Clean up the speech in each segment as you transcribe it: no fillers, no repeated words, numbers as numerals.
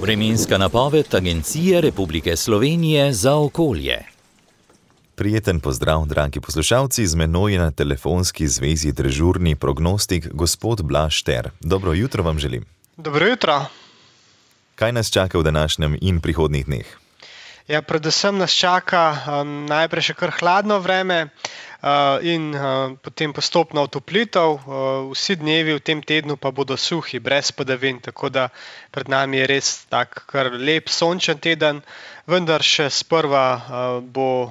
Vremenska napoved Agencije Republike Slovenije za okolje. Prijeten pozdrav, dragi poslušalci, z menoj je na telefonski zvezi dežurni prognostik gospod Blaž Šter. Dobro jutro vam želim. Dobro jutro. Kaj nas čaka v današnjem in prihodnjih dneh? Ja, predvsem nas čaka najprej še kar hladno vreme in potem postopno otoplitev. Vsi dnevi v tem tednu pa bodo suhi, brez padavin, tako da pred nami je res tak kar lep sončen teden, vendar še sprva bo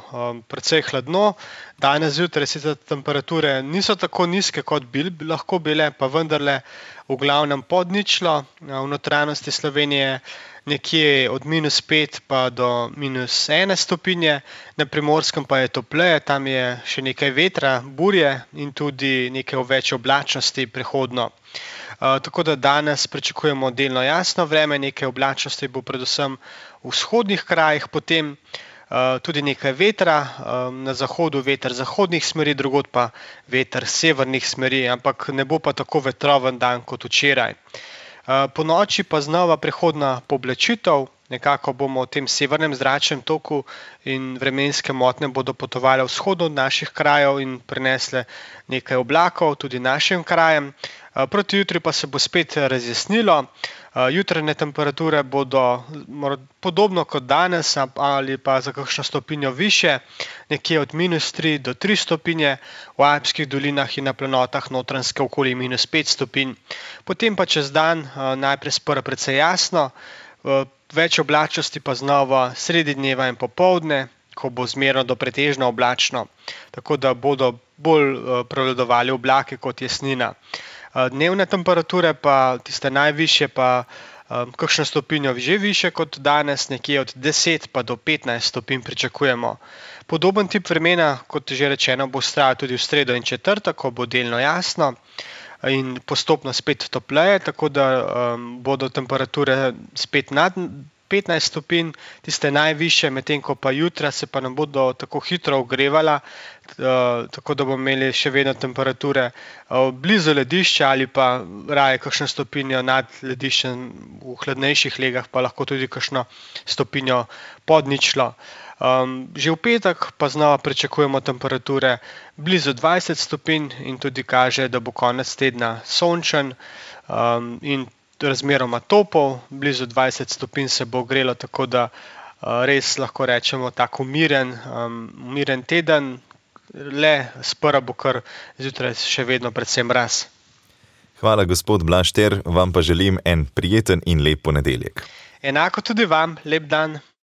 precej hladno. Danes zjutraj sicer temperature niso tako nizke, kot bi lahko bile, pa vendarle v glavnem pod ničlo. V notranjosti Slovenije nekje od -5 pa do -1 stopinje, na Primorskem pa je topleje, tam je še nekaj vetra, burje in tudi nekaj več oblačnosti prehodno. Tako da danes pričakujemo delno jasno vreme, nekaj oblačnosti bo predvsem v vzhodnih krajih, potem tudi nekaj vetra, na zahodu veter zahodnih smeri, drugod pa veter severnih smeri, ampak ne bo pa tako vetroven dan kot včeraj. Ponoči pa znova prehodna pooblačitev, nekako bomo v tem severnem zračnem toku in vremenske motnje bodo potovale vzhodu od naših krajev in prinesle nekaj oblakov tudi našim krajem. Proti jutri pa se bo spet razjasnilo, jutranje temperature bodo podobno kot danes ali pa za kakšno stopinjo višje, nekje od -3 do 3 stopinje, v Alpskih dolinah in na planotah Notranjske okoli -5 stopinj. Potem pa čez dan najprej sprva precej jasno, več oblačnosti pa znova sredi dneva in popoldne, ko bo zmerno do pretežno oblačno, tako da bodo bolj prevladovali oblaki kot jasnina. Dnevne temperature pa tiste najvišje pa kakšno stopinjo že višje kot danes, nekje od 10 pa do 15 stopinj pričakujemo. Podoben tip vremena, kot že rečeno, bo vztrajal tudi v sredo in četrtek, ko bo delno jasno in postopno spet topleje, tako da bodo temperature spet nad 15 stopinj, tiste najvišje, medtem ko pa jutra se pa ne bodo tako hitro ogrevala, tako da bomo imeli še vedno temperature blizu ledišča ali pa raje kakšno stopinjo nad lediščem, v hladnejših legah pa lahko tudi kakšno stopinjo pod ničlo. Že v petek pa znova pričakujemo temperature blizu 20 stopinj in tudi kaže, da bo konec tedna sončen in razmeroma topel, blizu 20 stopinj se bo ogrelo, tako da res lahko rečemo tak umiren teden, le sprva bo kar zjutraj še vedno predvsem mraz. Hvala, gospod Blaž Šter, vam pa želim en prijeten in lep ponedeljek. Enako tudi vam, lep dan.